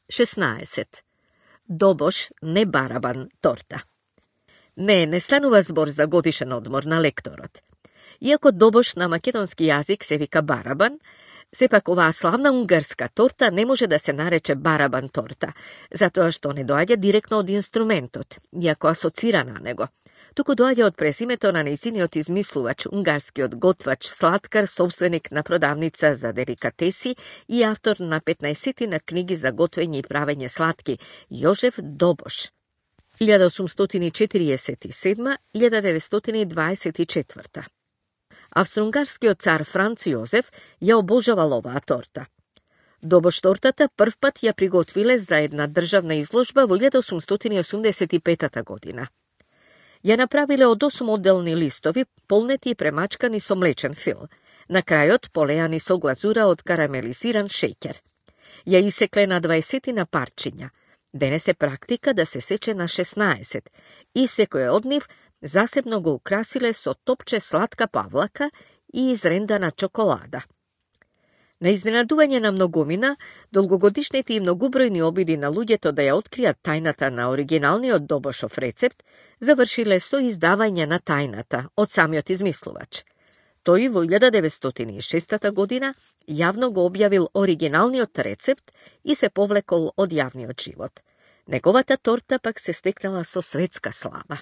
16. Добош, не барабан, торта. Не станува збор за годишен одмор на лекторот. Иако добош на македонски јазик се вика барабан, сепак оваа славна унгарска торта не може да се нарече барабан торта, затоа што не доаѓа директно од инструментот, иако асоцира на него. Туку доаѓа од презимето на нејзиниот измислувач, унгарскиот готвач, слаткар, собственик на продавница за деликатеси и автор на 15 на книги за готвење и правење сладки, Јожеф Добош. 1847-1924. Австро-унгарскиот цар Франц Јозеф ја обожавал оваа торта. Добош тортата првпат ја приготвиле за една државна изложба во 1885 година. Ја направиле од 8 одделни листови, полнети и премачкани со млечен фил. На крајот полеани со глазура од карамелизиран шеќер. Ја исекле на 20 на парчиња. Денес е практика да се сече на 16 и секој од нив засебно го украсиле со топче сладка павлака и изрендана чоколада. На изненадување на многумина, долгогодишните и многубројни обиди на луѓето да ја откријат тајната на оригиналниот Добошов рецепт завршиле со издавање на тајната од самиот измислувач. Тој во 1906 година јавно го објавил оригиналниот рецепт и се повлекол од јавниот живот. Неговата торта пак се стекнала со светска слава.